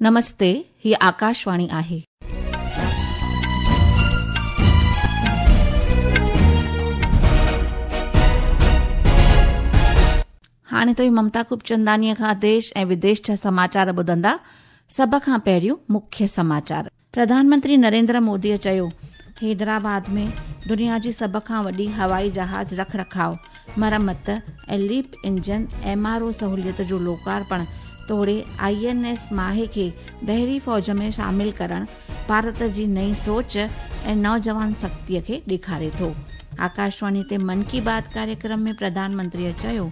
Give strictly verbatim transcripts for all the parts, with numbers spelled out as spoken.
नमस्ते, ही आकाशवाणी आहे. हाणे तो ममता खूबचंदानीअ खां देश ऐं विदेश जा समाचार ॿुधंदा. सभ खां पहिरियों मुख्य समाचार. प्रधानमंत्री नरेंद्र मोदीअ चयो, हैदराबाद में दुनिया जी सभ खां वॾी हवाई जहाज़ रख रखाव, मरमत ऐं LEAP engine M R O सहूलियत जो लोकार्पण तोड़े I N S माहे खे बहरी फ़ौज में शामिल करण भारत जी नई सोच ऐं नौजवान शक्तिअ खे ॾेखारे थो. आकाशवाणी ते मन की बात कार्यक्रम में प्रधानमंत्रीअ चयो,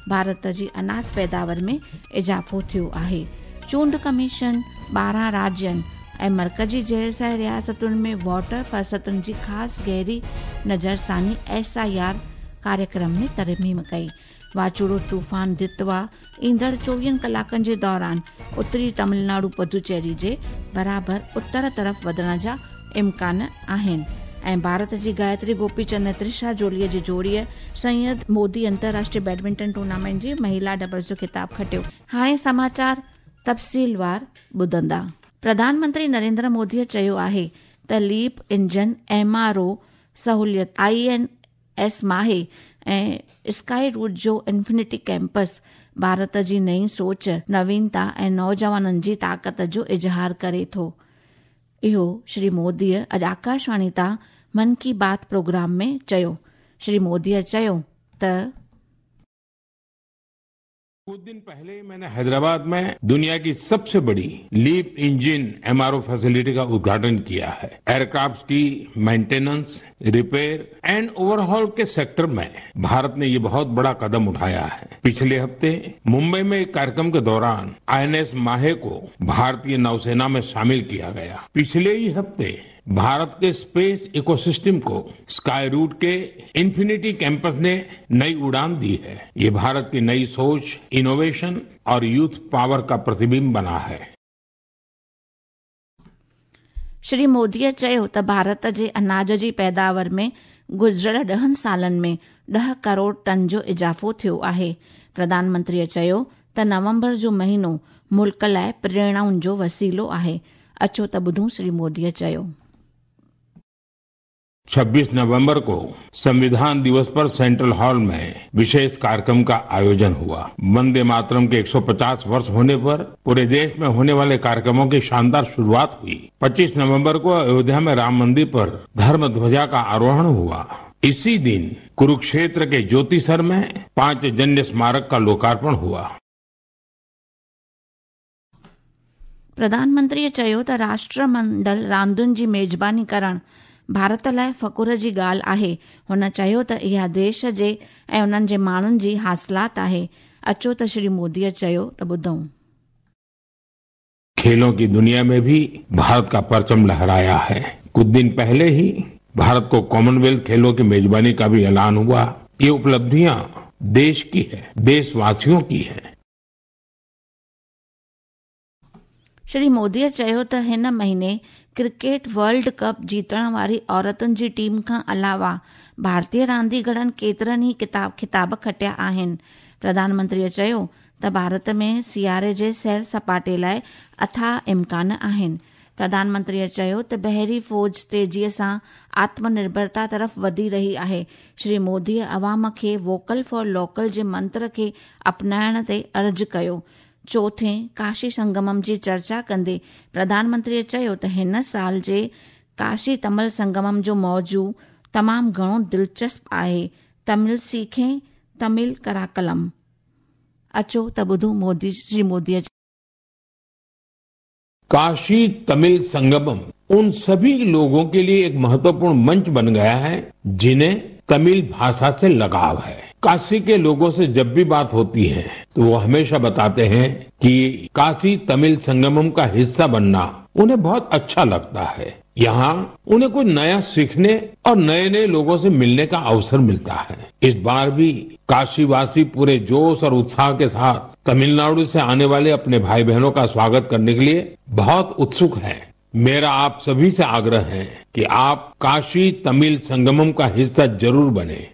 भारत जी अनाज पैदावार में इज़ाफ़ो थियो आहे. चूंड कमीशन ॿारहं राज्यनि ऐं मर्कज़ी ज़ेर रियासतुनि में वोटर फहरिस्तुनि जी ख़ासि गहरी नज़रसानी एस I R कार्यक्रम में तरमीम कई. वाचूड़ो तूफ़ान दितवा ईंदड़ चोवीहनि कलाकनि जे दौरान उत्तरी तमिलनाडु पुदुचेरी जे बराबरि उत्तर तरफ़ वधण जा इम्कान आहिनि. ऐं भारत जी गायत्री गोपीचंद ऐं त्रिशा जोलीअ जी जोड़ीअ सैयद मोदी अंतर्राष्ट्रीय बैडमिंटन टूर्नामेंट जी महिला डबल्स जो ख़िताब खटियो. हाणे समाचार तफ़सीलवार ॿुधंदा. प्रधानमंत्री नरेंद्र मोदीअ चयो आहे त leap engine M R O सहूलियत I N S माहे ऐं स्काई रूट जो इन्फिनिटी कैंपस भारत जी नई सोच, नवीनता ऐं नौजवाननि जी ताक़त जो इज़हार करे थो. इहो श्री मोदीअ अॼु आकाशवाणी तां मन की बात प्रोग्राम में चयो. श्री मोदीअ चयो त कुछ दिन पहले ही मैंने हैदराबाद में दुनिया की सबसे बड़ी LEAP engine M R O facility का उद्घाटन किया है. एयरक्राफ्ट की मेंटेनेंस, रिपेयर एंड ओवरहॉल के सेक्टर में भारत ने ये बहुत बड़ा कदम उठाया है. पिछले हफ्ते मुंबई में एक कार्यक्रम के दौरान I N S माहे को भारतीय नौसेना में शामिल किया गया. पिछले ही हफ्ते भारत के स्पेस इकोसिस्टम को स्काई रूट के इन्फिनिटी कैंपस ने नई उड़ान दी है. ये भारत की नई सोच, इनोवेशन और यूथ पावर का प्रतिबिंब बना है. श्री मोदीअ चयो त भारत जे अनाज जी पैदावार में गुज़िरियल ॾहनि सालनि में ॾह करोड़ टन जो इज़ाफ़ो थियो आहे. प्रधानमंत्रीअ चयो त नवंबर जो महीनो मुल्क लाइ प्रेरणाउनि जो वसीलो आहे. अचो त ॿुधूं श्री मोदीअ चयो. छब्बीस नवंबर को संविधान दिवस पर सेंट्रल हॉल में विशेष कार्यक्रम का आयोजन हुआ. वंदे मातरम के एक सौ पचास वर्ष होने पर पूरे देश में होने वाले कार्यक्रमों की शानदार शुरुआत हुई. पच्चीस नवंबर को अयोध्या में राम मंदिर पर धर्म ध्वजा का आरोहण हुआ. इसी दिन कुरुक्षेत्र के ज्योतिसर में पांचजन्य स्मारक का लोकार्पण हुआ. प्रधानमंत्रीअ चयो त राष्ट्रमंडल रांदियुनि जी मेज़बानी करण भारत लाइ फ़ख़ुर जी ॻाल्हि आहे. हुन चयो त इहा देश जे ऐं उन्हनि जे माण्हुनि जी हासिलात आहे. अचो त श्री मोदीअ चयो त ॿुधूं. खेलों की दुनिया में भी भारत का परचम लहराया है. कुछ दिन पहले ही भारत को कॉमनवेल्थ खेलों की मेजबानी का भी ऐलान हुआ. ये उपलब्धियां देश की है, देशवासियों की है. श्री मोदीअ चयो त हिन महीने क्रिकेट वर्ल्ड कप जीतण वारी औरतुनि जी टीम खां अलावा भारतीय रांदीगरनि केतिरनि ई किताब ख़िताब खटिया आहिनि. प्रधानमंत्रीअ चयो त भारत में सियारे जे सैर सपाटे लाइ अथाह इम्कान आहिनि. प्रधानमंत्रीअ चयो त बहरी फ़ौज तेज़ीअ सां आत्मनिर्भरता तरफ़ वधी रही आहे. श्री मोदीअ अवाम खे वोकल फॉर लोकल जे मंत्र खे अपनाइण ते अर्ज़ु कयो. चोथें काशी संगमम जी चर्चा कंदे प्रधानमंत्रीअ चयो त हिन साल जे काशी तमिल संगमम जो मौज़ू तमामु घणो दिलचस्प आहे, तमिल सीखें तमिल कराकलम. अचो त ॿुधूं मोदी श्री मोदीअ. काशी तमिल संगमम उन सभी लोगों के लिए एक महत्वपूर्ण मंच बन गया है, जिन्हें तमिल भाषा से लगाव है. काशी के लोगों से जब भी बात होती है, तो वो हमेशा बताते हैं कि काशी तमिल संगमम का हिस्सा बनना उन्हें बहुत अच्छा लगता है. यहाँ उन्हें कुछ नया सीखने और नए नए लोगों से मिलने का अवसर मिलता है. इस बार भी काशीवासी पूरे जोश और उत्साह के साथ तमिलनाडु से आने वाले अपने भाई बहनों का स्वागत करने के लिए बहुत उत्सुक हैं. मेरा आप सभी से आग्रह है कि आप काशी तमिल संगमम का हिस्सा जरूर बने.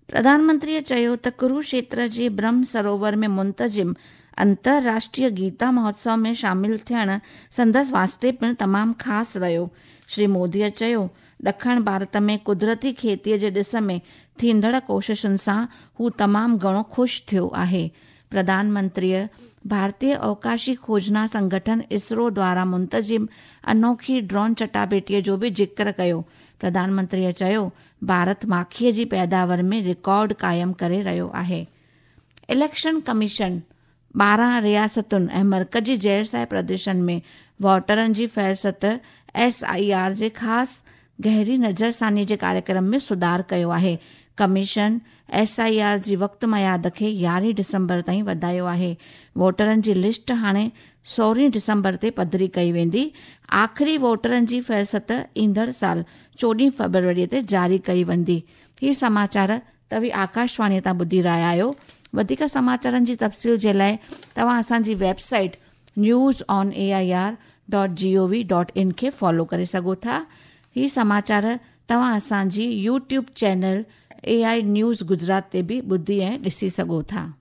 प्रधानमंत्रीअ चयो त कुरुक्षेत्र जे ब्रह्म सरोवर में मुंतज़िम अंतर्राष्ट्रीय गीता महोत्सव में शामिल थियण संदसि वास्ते पिणु तमामु ख़ासि रहियो। श्री मोदीअ चयो, ॾखण भारत में कुदरती खेतीअ जे ॾिस में थींदड़ कोशिशुनि सां हू तमामु घणो ख़ुशि थियो आहे। प्रधानमंत्रीअ भारतीय अवकाशी खोजना संगठन इसरो द्वारा मुंतज़िम अनोखी ड्रोन चटाभेटीअ जो बि ज़िक्र कयो। प्रधानमंत्रीअ चयो, भारत माखीअ जी पैदावार में रिकॉर्ड क़ाइमु करे रहियो आहे। इलेक्शन कमीशन ॿारहं रियासतुनि ऐं मर्कज़ी ज़ैर प्रदेशनि में वोटरनि जी फ़हरिस्त एस I R जे ख़ासि गहरी नज़रसानी जे कार्यक्रम में सुधार कयो आहे। कमीशन एस I R जी वक़्तु मयाद खे यारहीं डिसंबर ताईं वधायो आहे। वोटरनि जी लिस्ट हाणे सोरहीं डिसंबर ते पधरी कई वेंदी। आख़िरी वोटरनि जी फ़हरिस्त ईंदड़ साल चोॾहीं फ़रवरीअ ते जारी कई वेंदी। ही समाचार तव्हीं आकाशवाणीअ तां ॿुधी रहिया आहियो। वधीक समाचारनि जी तफ़सील जे लाइ तव्हां असांजी website news on A I R dot G O V dot in खे फॉलो करे सघो था। ही समाचार तव्हां असांजी YouTube channel A I news Gujarat ते बि ॿुधी ऐं ॾिसी सघो था।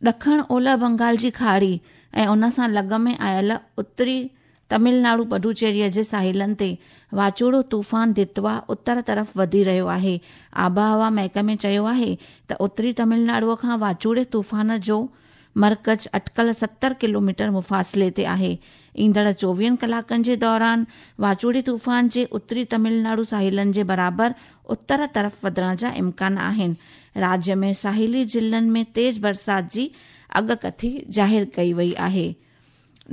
ॾखण ओलह बंगाल जी खाड़ी ऐं उन सां लॻ में आयल उत्तरी तमिलनाडु पुडुचेरीअ जे साहिलनि ते वाचूड़ो तूफ़ान दितवा उत्तर तरफ़ वधी रहियो आहे। आबहवा महकमे चयो आहे त उत्तरी तमिलनाडुअ खां वाचूड़े तूफ़ान जो मर्कज़ अटकल सत्तर किलोमीटर मुफ़ासिले ते आहे। ईंदड़ चोवीहनि कलाकनि जे दौरान वाचूड़े तूफ़ान जे उत्तरी तमिलनाडु साहिलनि जे बराबरि उत्तर तरफ़ वधण जा इम्कान आहिनि। राज्य में साहिली ज़िलनि में तेज़ बरसाति जी अॻकथी ज़ाहिर कई वई आहे।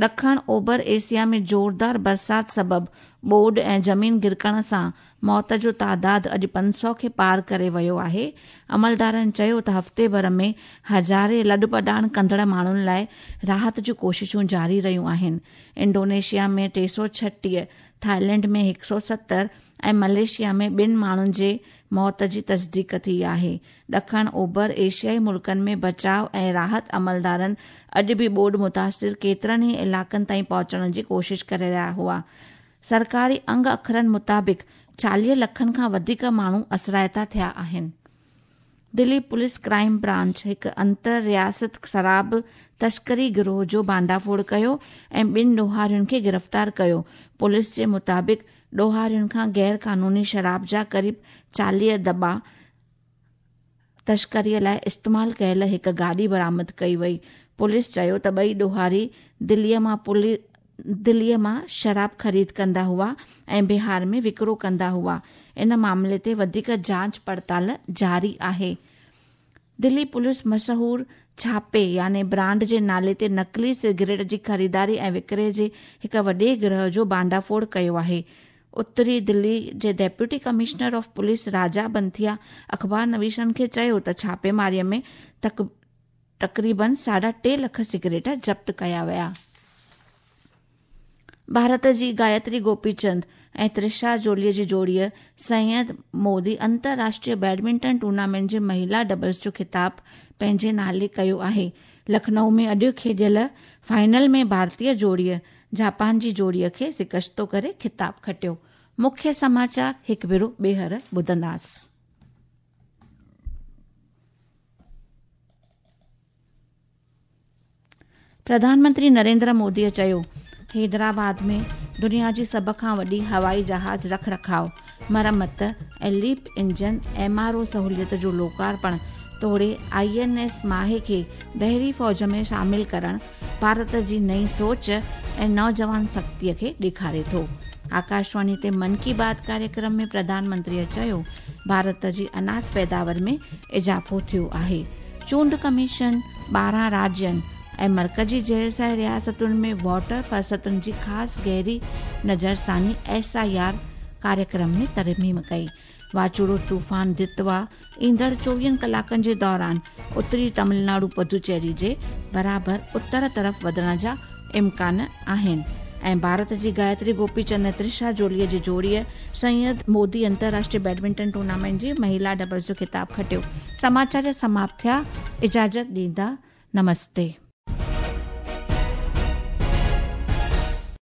ॾखण ओभर एशिया में ज़ोरदार बरसाति सबबु ॿोॾ ऐं ज़मीन गिरकण सां मौत जो तादाद अॼु पंज सौ खे पार करे वियो आहे। अमलदारनि चयो त हफ़्ते भर में हज़ारे लॾपॾाण कंदड़ माण्हुनि लाइ राहत जूं कोशिशूं जारी रहियूं आहिनि। इंडोनेशिया में टे सौ छटीह, थाईलैंड में हिकु सौ सतरि ऐं मलेशिया में ॿिनि माण्हुनि जे मौत जी तस्दीक थी आहे। ॾखण ओभर एशियाई मुल्कनि में बचाव ऐं राहत अमलदारनि अॼु बि ॿोॾ मुतासिर केतिरनि ई इलाइक़नि ताईं पहुचण जी कोशिश करे रहिया हुआ। सरकारी अंग अखरनि मुताबिक़ चालीह लखनि खां वधीक माण्हू असराइता थिया आहिनि। दिल्ली पुलिस क्राइम ब्रांच हिकु अंतर रियासत शराब तस्करी गिरोह जो भांडाफोड़ कयो ऐं ॿिनि ॾोहारियुनि खे गिरफ़्तार कयो। पुलिस जे मुताबिक़ ॾोहारियुनि खां गैर क़ानूनी शराब जा क़रीब चालीह दॿा तस्करीअ लाइ इस्तेमालु कयल हिकु गाॾी बरामद कई वई। पुलिस चयो त ॿई ॾोहारी दिल्लीअ मां पुलिस दिल्लीअ मां शराब ख़रीद कंदा हुआ ऐं बिहार में विकिरो कंदा हुआ। इन मामले ते वधीक जांच पड़ताल जारी आहे। दिल्ली पुलिस मशहूर छापे यानी ब्रांड जे नाले ते नकली सिगरेट जी ख़रीदारी ऐं विकिरे जे हिकु वॾे गिरोह जो भांडाफोड़ कयो आहे। उत्तरी दिल्ली जे deputy commissioner of police Raja Banthia अख़बार नवीसनि खे चयो त छापेमारीअ में तक, तक़रीबन साढा टे लख सिगरेट ज़ब्त कया विया। भारत जी गायत्री गोपीचंद ऐं त्रिशा जोलीअ जी जोड़ीअ सैयद मोदी अंतर्राष्ट्रीय बैडमिंटन टूर्नामेंट जे महिला डबल्स जो ख़िताब पंहिंजे नाले कयो आहे। लखनऊ में अॼु खेॾियल फाइनल में भारतीय जोड़ीअ जापान जी जोड़ीअ खे शिकस्तो करे ख़िताब खटियो। मुख्य समाचार हिकु भेरो ॿीहर ॿुधंदासीं। प्रधानमंत्री नरेंद्र मोदीअ चयो, हैदराबाद में दुनिया जी सभ खां वॾी हवाई जहाज़ रख रखाव, मरम्मत ऐं LEAP engine M R O सहूलियत जो लोकार्पण तोड़े I N S माहे खे बहरी फ़ौज में शामिल करण भारत जी नई सोच ऐं नौजवान शक्तिअ खे ॾेखारे थो। आकाशवाणी ते मन की बात कार्यक्रम में प्रधानमंत्रीअ चयो, भारत जी अनाज पैदावार में इज़ाफ़ो थियो आहे। चूंड कमीशन ॿारहं राज्यनि ऐं मर्कज़ी ज़ैर रियासतुनि में वाटर फ़हरिस्तुनि जी ख़ासि गहरी नज़रसानी एस I R कार्यक्रम में तरमीम कई। वाचूड़ो तूफ़ान दितवा ईंदड़ चोवीहनि कलाकनि जे दौरान उत्तरी तमिलनाडु पुडुचेरी जे बराबरि उत्तर तरफ़ वधण जा इम्कान आहिनि। ऐं भारत जी गायत्री गोपीचंद ऐं त्रिशा जोलीअ जी जोड़ीअ सैयद मोदी अंतर्राष्ट्रीय बैडमिंटन टूर्नामेंट जी महिला डबल्स जो ख़िताब खटियो। समाचार समाप्त थिया। इजाज़त ॾींदा। नमस्ते।